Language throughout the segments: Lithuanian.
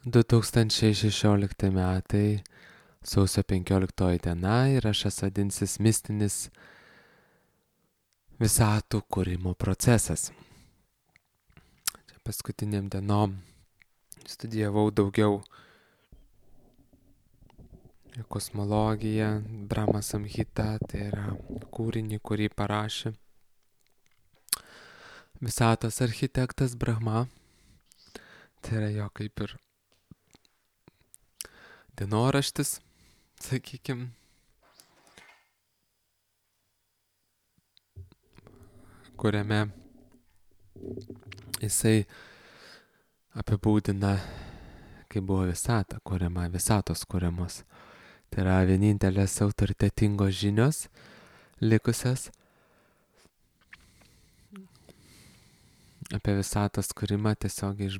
2016 metai, sausio 15 diena įrašas vadinsis mistinis visatų kūrimo procesas. Čia paskutiniam dienom studijavau daugiau kosmologiją, Brahma Samhita, tai yra kūrinį, kurį parašė visatos architektas Brahma. Tai yra jo kaip ir dienoraštis, sakykim, kuriame jisai apibūdina, kaip buvo visata kuriama, visatos kuriamos. Tai yra vienintelės autoritetingos žinios likusias apie visatos kūrimą tiesiog iš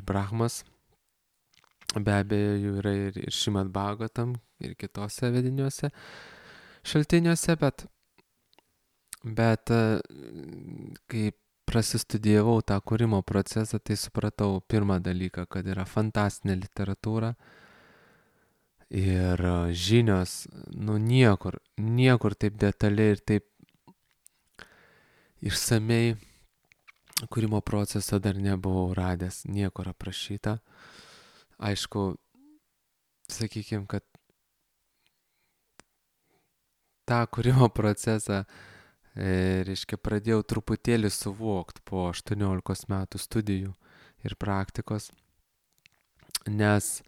Brahmos. Be abejo, jų yra ir Šrimad Bhagavatam, ir kitose vediniuose šaltiniuose, bet kai prasistudijavau tą kūrimo procesą, tai supratau pirmą dalyką, kad yra fantastinė literatūra ir žinios, niekur taip detaliai ir taip išsamei kūrimo proceso dar nebuvau radęs, niekur aprašyta. Aišku, sakykime, kad tą kūrimo procesą, pradėjau truputėlį suvokti po 18 metų studijų ir praktikos, nes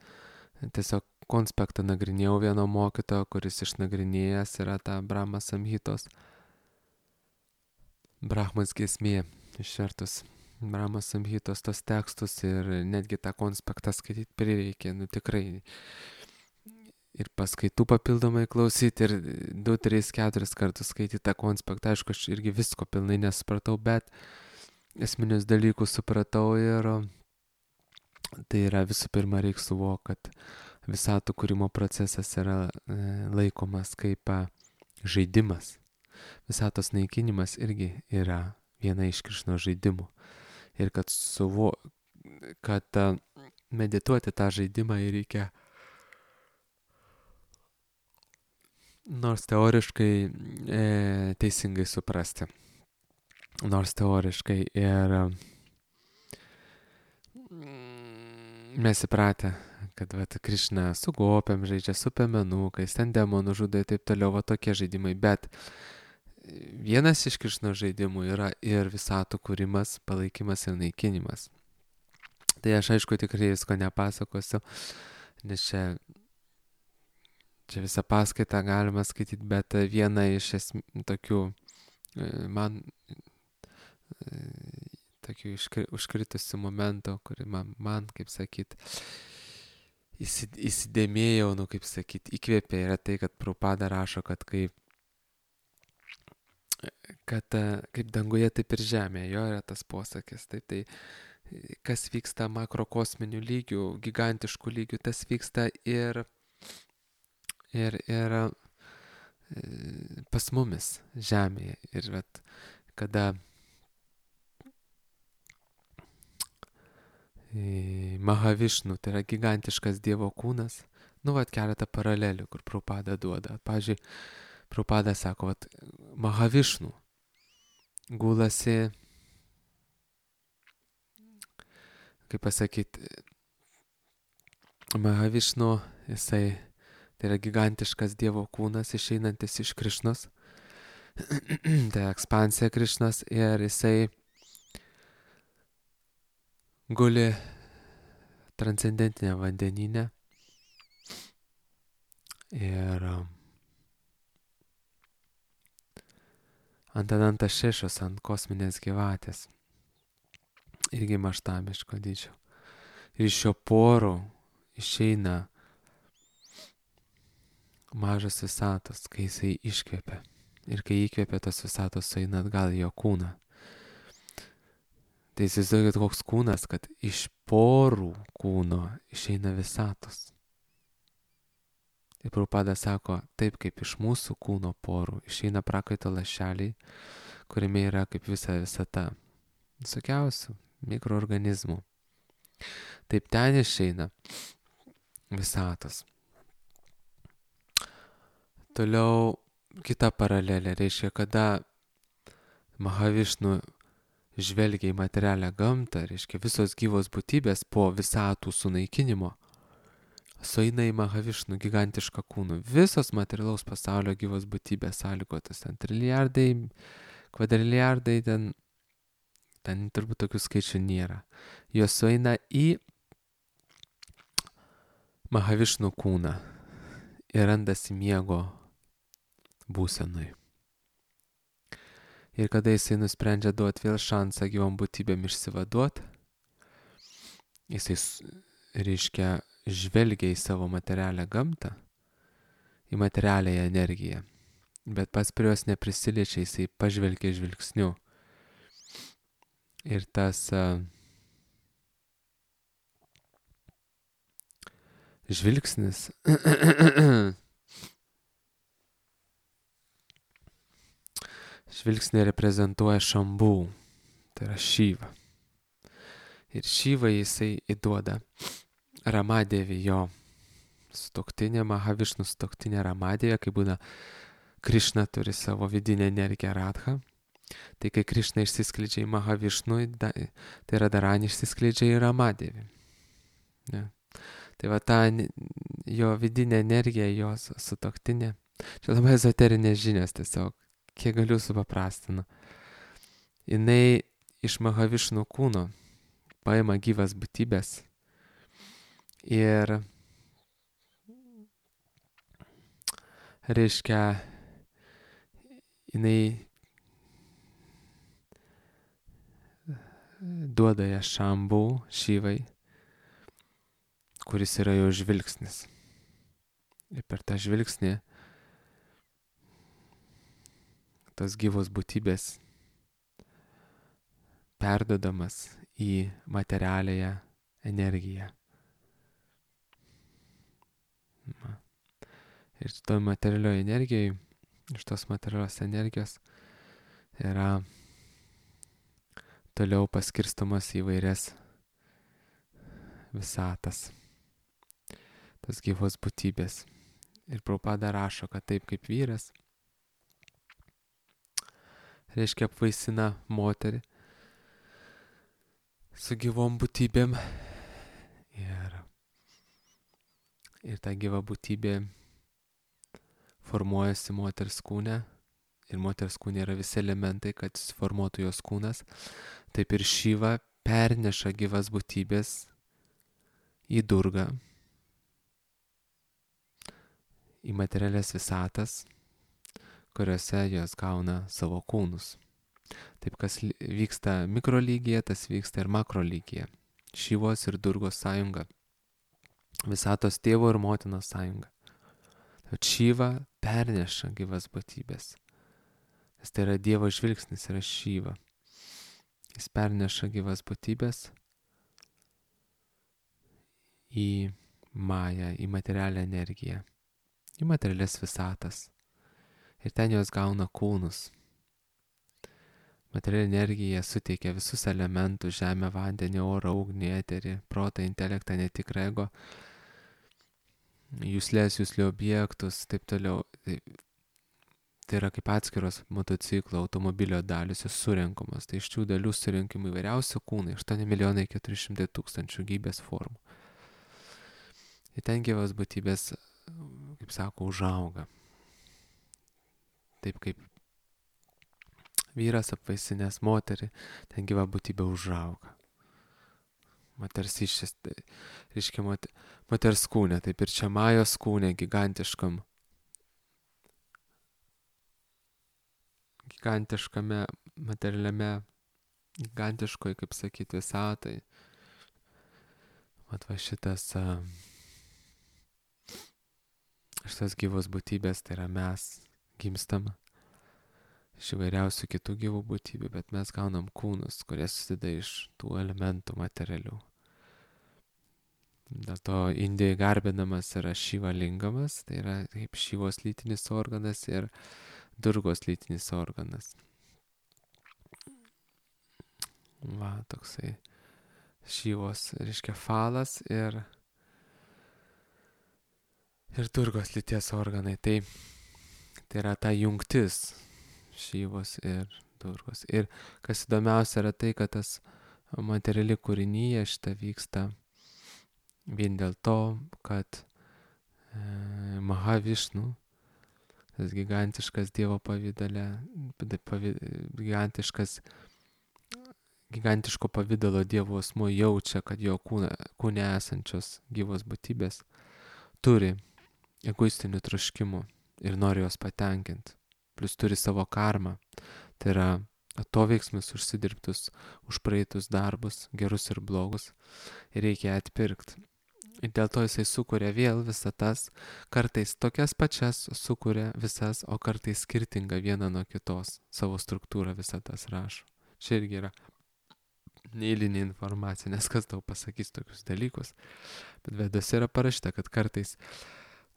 tiesiog konspektą nagrinėjau vieno mokytojo, kuris išnagrinėjęs yra tą Brahma Samhitos, Brahmos giesmė, išvertus Brahma Samhitos tos tekstus ir netgi tą konspektą skaityti prireikė, tikrai. Ir paskaitų papildomai klausyti ir 2, 3, 4 kartus skaityti tą konspektą. Aišku, aš irgi visko pilnai nesupratau, bet esminius dalykus supratau ir tai yra visų pirma reikia suvokti, kad visatų kūrimo procesas yra laikomas kaip žaidimas. Visatos naikinimas irgi yra viena iš Krišnos žaidimų. Ir kad medituoti tą žaidimą reikia nors teoriškai teisingai suprasti. Nors teoriškai ir mes įpratę, kad Krišna su gopiam žaidžia, su piemenukais, ten demonų žudo ir taip toliau, tokie žaidimai. Bet vienas iš Krišnos žaidimų yra ir visatų kūrimas, palaikymas ir naikinimas. Tai aš aišku tikrai visko nepasakosiu, nes čia visą paskaitą galima skaityti, bet viena iš tokių man tokių užkritusių momentų, kuri man kaip sakyt, įsidėmėjau, kaip sakyt, įkvėpė, yra tai, kad Prabhupada rašo, kad kaip danguje, taip ir žemėje, jo yra tas posakis. Tai kas vyksta makrokosminių lygių, gigantiškų lygių, tas vyksta ir pas mumis žemėje. Ir kada Mahavišnu, tai yra gigantiškas Dievo kūnas, keletą paralelių, kur Prabhupada duoda. Pavyzdžiui, Prabhupada sako, Mahavišnu gulasi, kaip pasakyti, Mahavišnu, jisai, tai yra gigantiškas Dievo kūnas, išeinantis iš Krišnos, tai ekspansija Krišnos, ir jisai guli transcendentinė vandenyne ir ant Anantas Šešos, ant kosminės gyvatės, irgi maštamiško dydžio. Ir iš šio porų išeina mažas visatos, kai jisai iškvėpia. Ir kai įkvėpia, tos visatos sueina atgal į jo kūną. Tai įsivaizduokit koks kūnas, kad iš porų kūno išeina visatos. Ir Prabhupada sako, taip kaip iš mūsų kūno porų išeina prakaito lašeliai, kuriame yra kaip visa visata, visokiausių mikroorganizmų. Taip ten išeina visatos. Toliau kita paralelė reiškia, kada Mahavišnu žvelgia į materialią gamtą, reiškia visos gyvos būtybės po visatų sunaikinimo sueina į Mahavišnų gigantišką kūnų. Visos materialaus pasaulio gyvos būtybės sąlygotas, ten trilijardai, kvadriliardai, ten turbūt tokių skaičių nėra. Jos sueina į Mahavišnų kūną ir randasi miego būsenui. Ir kada jisai nusprendžia duoti vėl šansą gyvom būtybėm išsivaduoti, jisai, reiškia, žvelgia į savo materialią gamtą, į materialiąją energiją, bet pats prie jos neprisiliečia, jisai pažvelgia žvilgsniu. Ir tas žvilgsnis žvilgsnį reprezentuoja Šambų, tai yra Šyva. Ir Šyva jisai įduoda Ramadevį, jo sutuoktinė, Mahavišnų sutuoktinė Ramadevė, kai būna Krišna turi savo vidinę energiją Radha. Tai kai Krišna išsiskleidžia į Mahavišnų, tai yra Darani išsiskleidžia į Ramadevį. Ja. Tai va ta jo vidinė energija, jos sutuoktinė. Čia labai ezoterinės žinios tiesiog, kiek galiu supaprastinu. Jinai iš Mahavišnų kūno paima gyvas būtybės ir reiškia, jinai duoda ją Šambų, Šyvai, kuris yra jo žvilgsnis. Ir per tą žvilgsnį tos gyvos būtybės perdodamas į materialiąją energiją. Ir toj materialioje energijoje, iš tos materialios energijos yra toliau paskirstomas į vairias visatas, tas gyvos būtybės. Ir Prabhupada rašo, kad taip kaip vyras, reiškia, apvaisina moterį su gyvom būtybėm ir ta gyva būtybė formuojasi moters kūne ir moters kūne yra visi elementai, kad suformuotų jos kūnas. Taip ir Šyva perneša gyvas būtybės į Durgą, į materialias visatas, kuriuose jos gauna savo kūnus. Taip, kas vyksta mikrolygyje, tas vyksta ir makrolygyje. Šyvos ir Durgos sąjunga. Visatos tėvo ir motinos sąjunga. Tad Šyva perneša gyvas būtybės. Nes tai yra Dievo žvilgsnis, yra Šyva. Jis perneša gyvas būtybės į mają, į materialią energiją, į materialias visatas. Ir ten jos gauna kūnus. Materialinė energija suteikia visus elementus: žemę, vandenį, orą, ugnį, eterį, protą, intelektą, netikrą ego, juslės objektus, taip toliau. Tai yra kaip atskiros motociklo, automobilio dalys, jos surenkamos. Tai iš šių dalių surinkimų įvairiausių kūnai, 8 400 000 gyvybės formų. Ir ten gyvas būtybės, kaip sako, užauga. Taip kaip vyras apvaisinęs moterį, ten gyva būtybė užauga. Moters išės, reiškia moters kūne, taip ir čia Majos kūne, gigantiškame materialiame, gigantiškoje, kaip sakyti, visatai. Mat va šitas gyvos būtybės, tai yra mes gimstam iš įvairiausių kitų gyvų būtybių, bet mes gaunam kūnus, kurie susideda iš tų elementų materialių. Dėl to Indijoje garbinamas yra Šiva lingamas, tai yra kaip Šyvos lytinis organas ir Durgos lytinis organas. Va, toksai Šyvos, reiškia falas ir Durgos lyties organai. Tai yra ta jungtis Šyvos ir Durgos. Ir kas įdomiausia yra tai, kad tas materiali kūrinyje šita vyksta vien dėl to, kad Mahavišnu, tas gigantiškas Dievo pavydale, gigantiško pavydalo Dievo asmuo jaučia, kad jo kūne esančios gyvos būtybės turi egoistinių troškimų ir nori juos patenkinti. Plus turi savo karmą. Tai yra atoveiksmus užsidirbtus už praeitus darbus, gerus ir blogus. Ir reikia atpirkti. Ir dėl to jisai sukuria vėl visatas, kartais tokias pačias sukuria visas, o kartais skirtinga viena nuo kitos. Savo struktūrą visatas rašo. Čia irgi yra neeilinė informacija, nes kas tau pasakys tokius dalykus. Bet Vedose yra parašyta, kad kartais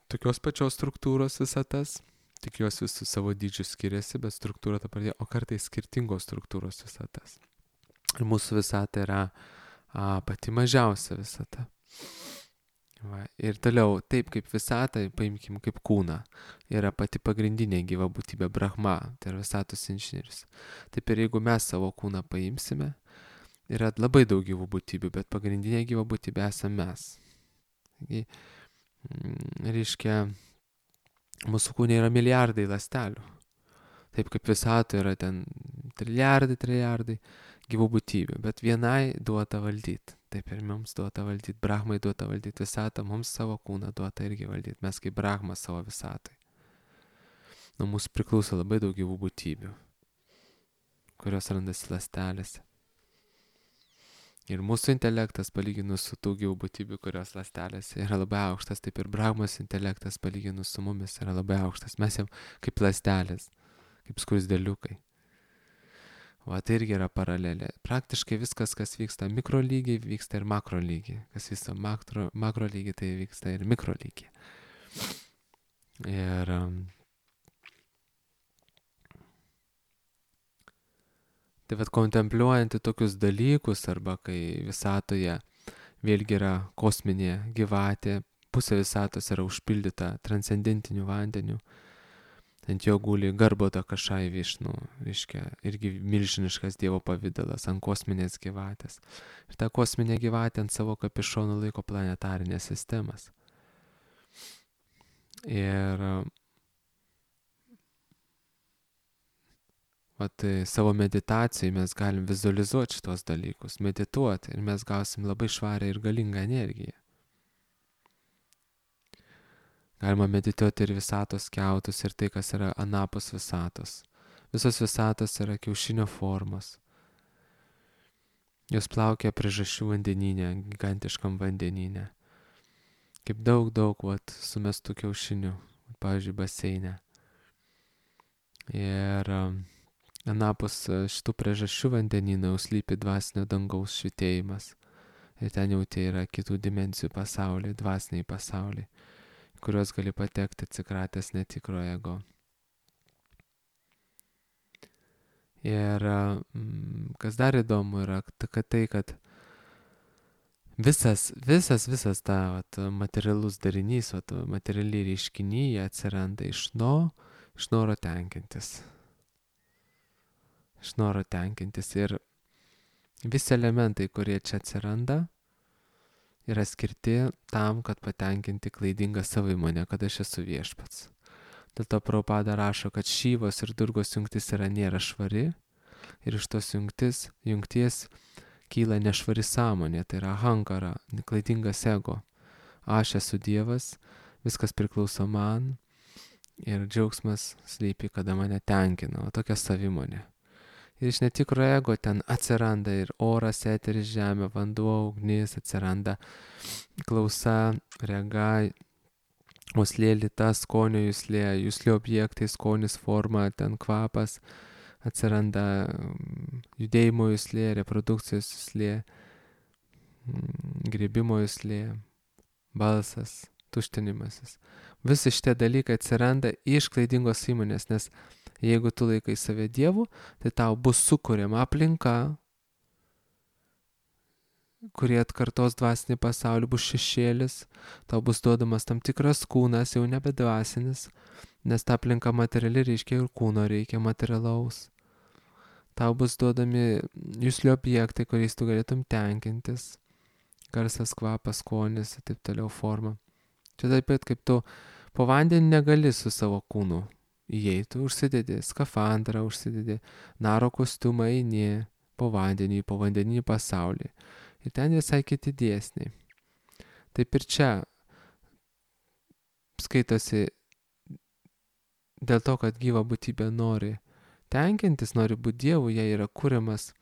tokios pačios struktūros visatas, tik jos visų savo dydžių skiriasi, bet struktūra ta pati, o kartais skirtingos struktūros visatas. Ir mūsų visata yra pati mažiausia visata. Va. Ir toliau, taip kaip visata, paimkim kaip kūną, yra pati pagrindinė gyva būtybė Brahma, tai yra visatos inžinierius. Taip ir jeigu mes savo kūną paimsime, yra labai daug gyvų būtybių, bet pagrindinė gyva būtybė esame mes. Taigi, reiškia, mūsų kūne yra milijardai ląstelių. Taip kaip visatoje yra ten trilijardai gyvų būtybių, bet vienai duota valdyti. Taip ir mums duota valdyti, Brahmai duota valdyti visatą, mums savo kūną duota irgi valdyti. Mes kaip Brahma savo visatai. Nuo mūsų priklauso labai daug gyvų būtybių, kurios randasi ląstelėse. Ir mūsų intelektas palyginus su tų gyvų būtybių, kurios ląstelėse yra labai aukštas, taip ir Brahmos intelektas palyginus su mumis yra labai aukštas. Mes jau kaip ląstelės, kaip skruzdėliukai. O tai irgi yra paralelė. Praktiškai viskas, kas vyksta mikro lygiai, vyksta ir makro lygiai. Kas vyksta makro lygiai, tai vyksta ir mikro lygiai. Ir tai vad kontempliuojant tokius dalykus, arba kai visatoje vėlgi yra kosminė gyvatė, pusė visatos yra užpildyta transcendentiniu vandeniu, ant jo guli Garbhoda Kašai Višnu, reiškia, irgi milžiniškas Dievo pavidalas ant kosminės gyvatės. Ir ta kosminė gyvatė ant savo kapišonų laiko planetarinės sistemas. Ir savo meditacijai mes galim vizualizuoti šitos dalykus, medituoti ir mes gausim labai švarią ir galingą energiją. Galima medituoti ir visatos kiautus ir tai, kas yra anapus visatos. Visos visatos yra kiaušinio formos. Jos plaukia priežasčių vandenyne, gigantiškam vandenyne. Kaip daug sumestų kiaušinių, pavyzdžiui, baseine. Ir anapus šitų priežasčių vandenyną jau slypi dvasinio dangaus švitėjimas. Ir ten jau tai yra kitų dimensijų pasauliai, dvasiniai pasauliai, kuriuos gali patekti atsikratęs netikro ego. Ir kas dar įdomu yra, kad visas ta materialus darinys, materialiai reiškiniai atsiranda iš noro tenkintis. Iš noro tenkintis. Ir visi elementai, kurie čia atsiranda, yra skirti tam, kad patenkinti klaidingą savimonę, kad aš esu viešpats. Dėl to Prabhupada rašo, kad Šyvos ir Durgos jungtis nėra švari ir iš tos jungties kyla nešvari sąmonė, tai yra ahankara, klaidingas ego. Aš esu Dievas, viskas priklauso man ir džiaugsmas slypi, kada mane tenkina, o tokia savimonė. Ir iš netikro ego ten atsiranda ir oras, eteris, žemė, vanduo, ugnis, atsiranda klausa, rega, uoslė, lyta, skonio juslė objektai, skonis, forma, ten kvapas, atsiranda judėjimo juslė, reprodukcijos juslė, grįbimo juslė, balsas, tuštinimasis. Visi šitie dalykai atsiranda iš klaidingos įmonės, nes jeigu tu laikai save Dievu, tai tau bus sukuriama aplinka, kurie atkartos dvasinį pasaulį, bus šešėlis, tau bus duodamas tam tikras kūnas, jau nebe dvasinis, nes ta aplinka materiali reiškia ir kūno reikia materialaus. Tau bus duodami juslių objektai, kuriais tu galėtum tenkintis, garsas, kvapas, skonis ir taip toliau forma. Čia taip pat kaip tu po vandenį negali su savo kūnu įeiti, užsidedi skafandrą, užsidedi naro kostiumą, eini po vandeninį pasaulį. Ir ten visai kiti dėsniai. Taip ir čia skaitosi dėl to, kad gyva būtybė nori tenkintis, nori būti Dievu, jai yra kuriamas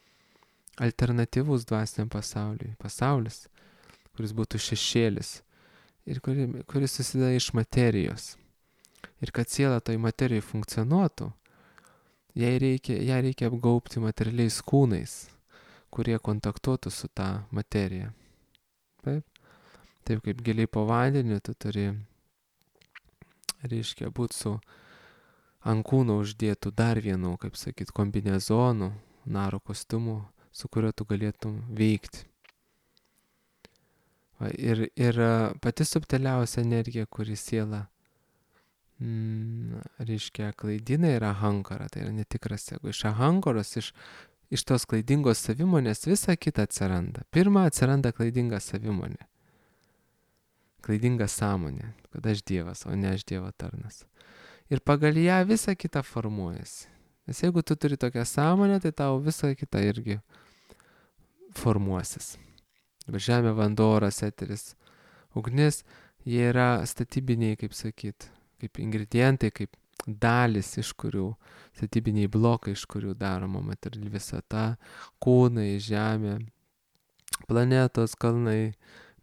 alternatyvus dvasiniam pasauliui. Pasaulis, kuris būtų šešėlis ir kuris susideda iš materijos. Ir kad siela toj materijai funkcionuotų, ją reikia apgaubti materialiais kūnais, kurie kontaktuotų su ta materija. Taip kaip giliai po vandeniu tu turi, reiškia, būti su ant kūno uždėtų dar vienu, kaip sakyt, kombinezonu, naro kostiumu, su kuriuo tu galėtum veikti. Ir pati subtiliausia energija, kuri siela reiškia klaidina, yra ahankara, tai yra netikras ego. Iš ahankaros, iš tos klaidingos savimonės visa kita atsiranda. Pirma atsiranda klaidinga savimonė. Klaidinga sąmonė, kad aš Dievas, o ne aš Dievo tarnas. Ir pagal ją visa kita formuojasi. Nes jeigu tu turi tokią sąmonę, tai tau visa kita irgi formuosis. Žemė, vanduo, oras, eteris, ugnis, jie yra statybiniai, kaip sakyt, kaip ingredientai, kaip dalis, iš kurių, statybiniai blokai, iš kurių daroma materiali visata, kūnai, žemė, planetos, kalnai,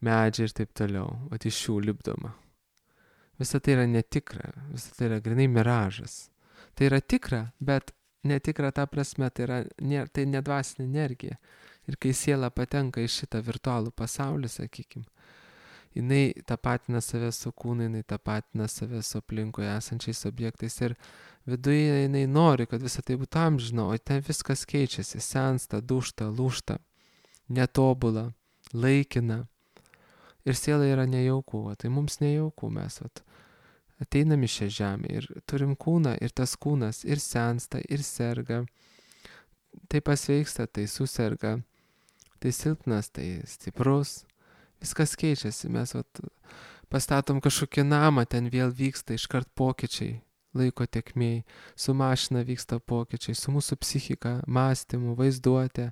medžiai ir taip toliau. O iš jų lipdoma. Visa tai yra netikra, visa tai yra grinai miražas. Tai yra tikra, bet netikra ta prasme, tai nedvasinė energija. Ir kai siela patenka į šitą virtualų pasaulį, sakykim, jinai tapatina save su kūnu, jinai tapatina save su aplinkoje esančiais objektais ir viduje jinai nori, kad visa tai būtų amžino, o ten viskas keičiasi, sensta, dūžta, lūžta, netobula, laikina. Ir siela yra nejauku, tai mums nejauku, mes ateinam į šią žemę ir turim kūną ir tas kūnas ir sensta, ir serga, tai pasveiksta, tai suserga, tai silpnas, tai stiprus. Viskas keičiasi, mes pastatom kažkokį namą, ten vėl vyksta iškart pokyčiai, laiko tėkmėj, su mašina vyksta pokyčiai, su mūsų psichika, mąstymu, vaizduotė,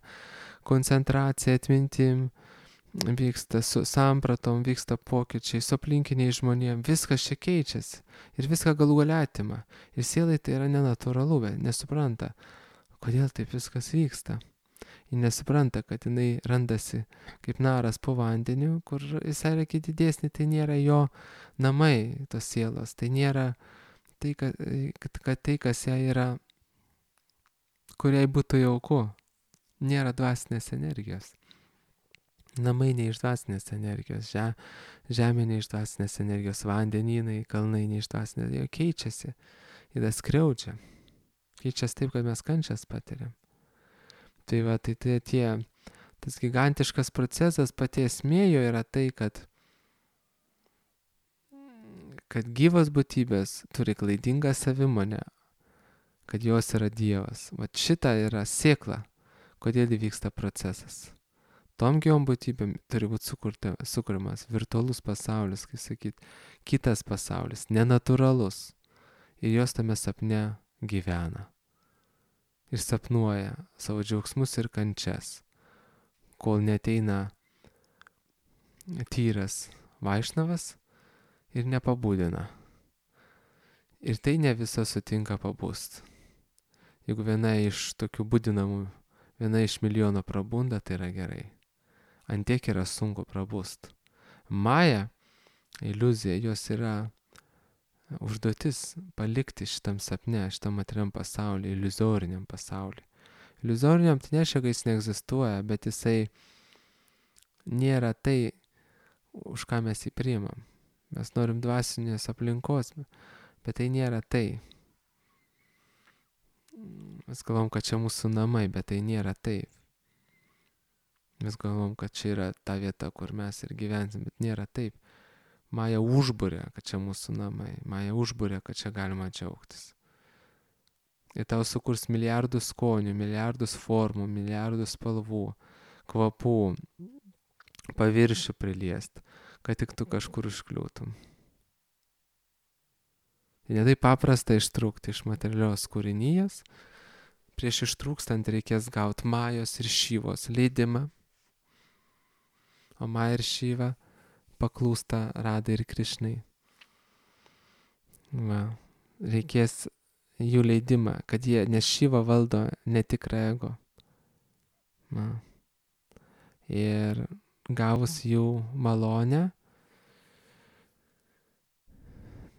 koncentracija, atmintim vyksta, su sampratom vyksta pokyčiai, su aplinkiniais žmonėm, viskas čia keičiasi ir viską galų gale atima. Ir sielai tai yra nenatūralu, bet nesupranta, kodėl taip viskas vyksta. Ji nesupranta, kad jinai randasi kaip naras po vandeniu, kur visai yra kiti dėsniai, tai nėra jo namai, tos sielos, tai nėra tai, kad tai, kas jai yra, kuriai būtų jauku, nėra dvasinės energijos. Namai ne iš dvasinės energijos, žemė ne iš dvasinės energijos, vandenynai, kalnai ne iš dvasinės energijos, keičiasi, jie skriaudžia, keičiasi taip, kad mes kančias patiriam. Tai tas gigantiškas procesas, pati esmė jo yra tai, kad gyvos būtybės turi klaidingą savimonę, kad jos yra Dievas. Vat šita yra sėkla, kodėl įvyksta procesas. Tom gyvom būtybėm turi būti sukuriamas virtualus pasaulis, kaip sakyt, kitas pasaulis, nenatūralus. Ir jos tame sapne gyvena. Ir sapnuoja savo džiaugsmus ir kančias, kol neteina tyras Vaišnavas ir nepabudina. Ir tai ne visa sutinka pabust. Jeigu viena iš tokių budinamų, viena iš milijono prabunda, tai yra gerai. Antiek yra sunku prabust. Maja, iliuzija, jos yra užduotis palikti šitam sapne, šitam materiam pasauliui, iliuzoriniam pasauliui. Iliuzoriniam tai nereiškia, kad jis neegzistuoja, bet jisai nėra tai, už ką mes jį priimam. Mes norim dvasinės aplinkos, bet tai nėra tai. Mes galvom, kad čia mūsų namai, bet tai nėra taip. Mes galvom, kad čia yra ta vieta, kur mes ir gyvensim, bet nėra taip. Maja užbūrė, kad čia mūsų namai. Maja užbūrė, kad čia galima džiaugtis. Ir tau sukurs milijardus skonių, milijardus formų, milijardus spalvų, kvapų, paviršių priliest, kad tik tu kažkur užkliūtum. Ir netai paprasta ištrūkti iš materialios kūrinijos. Prieš ištrūkstant reikės gauti Majos ir Šyvos leidimą. O Maja ir Šyva paklūsta Radai ir Krišnai. Reikės jų leidimą, kad jie, nes Šyva valdo netikrą ego. Ir gavus jų malonę,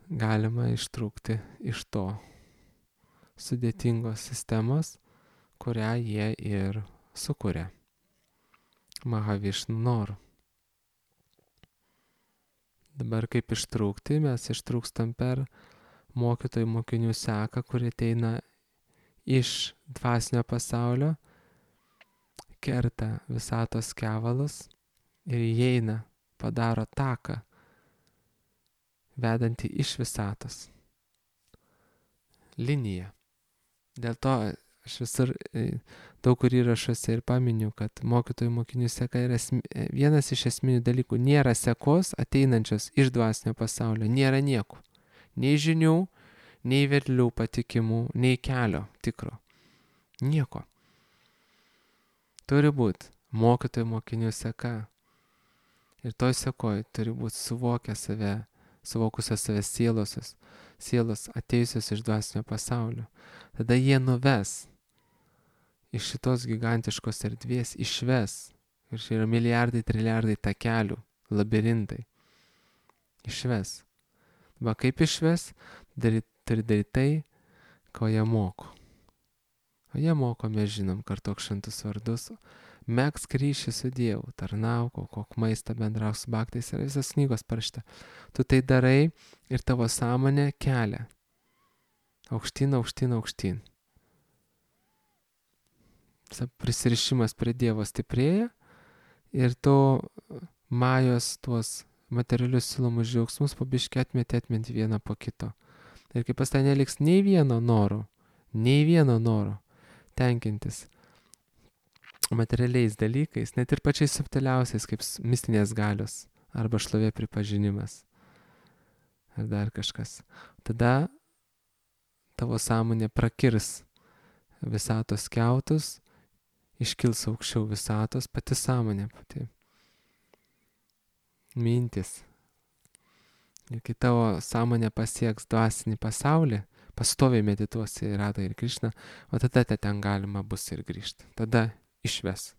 galima ištrūkti iš to sudėtingos sistemos, kurią jie ir sukuria. Mahavišnu noru. Dabar kaip ištrūkti, mes ištrūkstam per mokytojų mokinių seką, kuri ateina iš dvasinio pasaulio, kerta visatos kevalus ir įeina, padaro taką, vedantį iš visatos. Linija. Dėl to aš visur daug kur įrašuose ir paminiu, kad mokytojų mokinių seka yra vienas iš esminių dalykų. Nėra sekos ateinančios iš dvasinio pasaulio, nėra nieko. Nei žinių, nei vedlių patikimų, nei kelio tikro. Nieko. Turi būti mokytojų mokinių seka. Ir toj sekoj turi būti suvokusios save sielos atėjusios iš dvasinio pasaulio. Tada jie nuves iš šitos gigantiškos erdvės, išves. Ir čia yra milijardai, triliardai takelių, labirintai. Išves. Va kaip išves, turi daryti tai, ko jie moko. O jie moko, mes žinom, kartok šventus vardus. Megzk ryšį su Dievu, tarnauk, aukok maistą, bendrauk su baktais, yra visas knygos parašyta. Tu tai darai ir tavo sąmonė kelia. Aukštyn, aukštyn, aukštyn. Prisirišimas prie Dievo stiprėja ir to Majos tuos materialius silomus džiaugsmus po biškį atmeti vieną po kito. Ir kai pas tai neliks nei vieno noro tenkintis materialiais dalykais, net ir pačiais subtiliausiais, kaip mistinės galios arba šlovė pripažinimas ar dar kažkas. Tada tavo sąmonė prakirs visatos kiautus, iškils aukščiau visatos, pati sąmonė, pati mintis. Ir kai tavo sąmonė pasieks dvasinį pasaulį, pastoviai medituosi į Radą ir Krišną, o tada ten galima bus ir grįžti. Tada išves.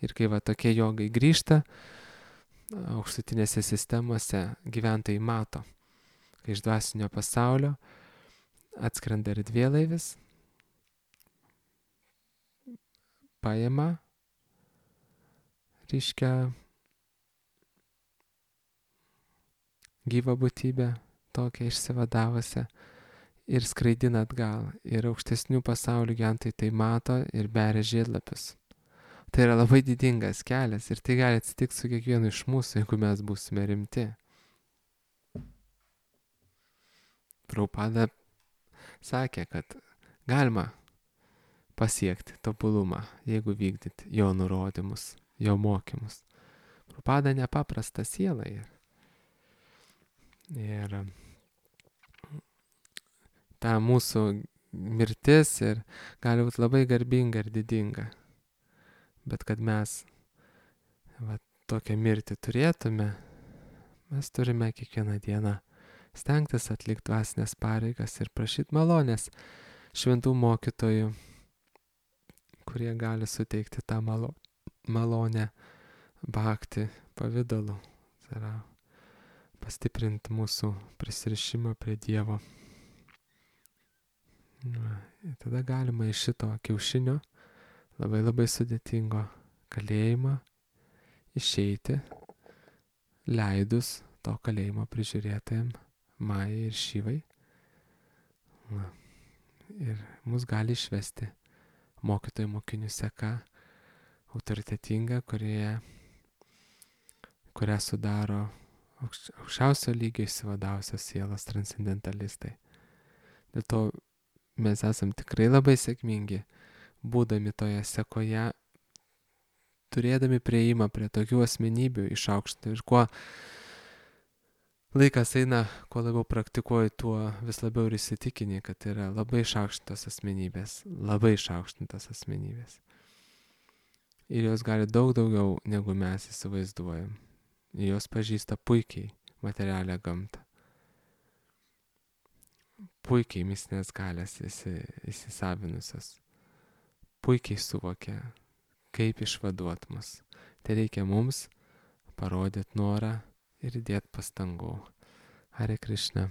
Ir kai tokie jogai grįžta, aukštutinėse sistemose gyventojai mato, kai iš dvasinio pasaulio atskrenda erdvėlaivis, paima, gyvą būtybę, tokią išsivadavusią, ir skraidina atgal. Ir aukštesnių pasaulių gyventojai tai mato ir beria žiedlapius. Tai yra labai didingas kelias ir tai gali atsitikti su kiekvienu iš mūsų, jeigu mes būsime rimti. Prabhupada sakė, kad galima pasiekti tobulumą, jeigu vykdyti jo nurodymus, jo mokymus. Prabhupada nepaprasta siela yra. Ir ta mūsų mirtis ir gali būti labai garbinga ir didinga. Bet kad mes tokią mirtį turėtume, mes turime kiekvieną dieną stengtis atlikti dvasinės pareigas ir prašyti malonės šventų mokytojų, kurie gali suteikti tą malonę bhakti pavidalu. Tai yra pastiprinti mūsų prisirišimą prie Dievo. Ir tada galima iš šito kiaušinio labai sudėtingo kalėjimo išeiti, leidus to kalėjimo prižiūrėtojam Majai ir Šyvai. Ir mus gali išvesti mokytojų mokinių seka autoritetinga, kurią sudaro aukščiausio lygio išsivadavusios sielos transcendentalistai. Dėl to mes esam tikrai labai sėkmingi, būdami toje sekoje, turėdami prieimą prie tokių asmenybių išaukštinti. Ir kuo laikas eina, kuo labiau praktikuoji, tuo vis labiau ir įsitikini, kad yra labai išaukštintos asmenybės. Ir jos gali daug daugiau, negu mes įsivaizduojam. Ir jos pažįsta puikiai materialią gamtą. Puikiai mistinės galės įsisavinusios. Puikiai suvokia, kaip išvaduot mus. Tai reikia mums parodyti norą ir įdėti pastangų. Hare Krishna.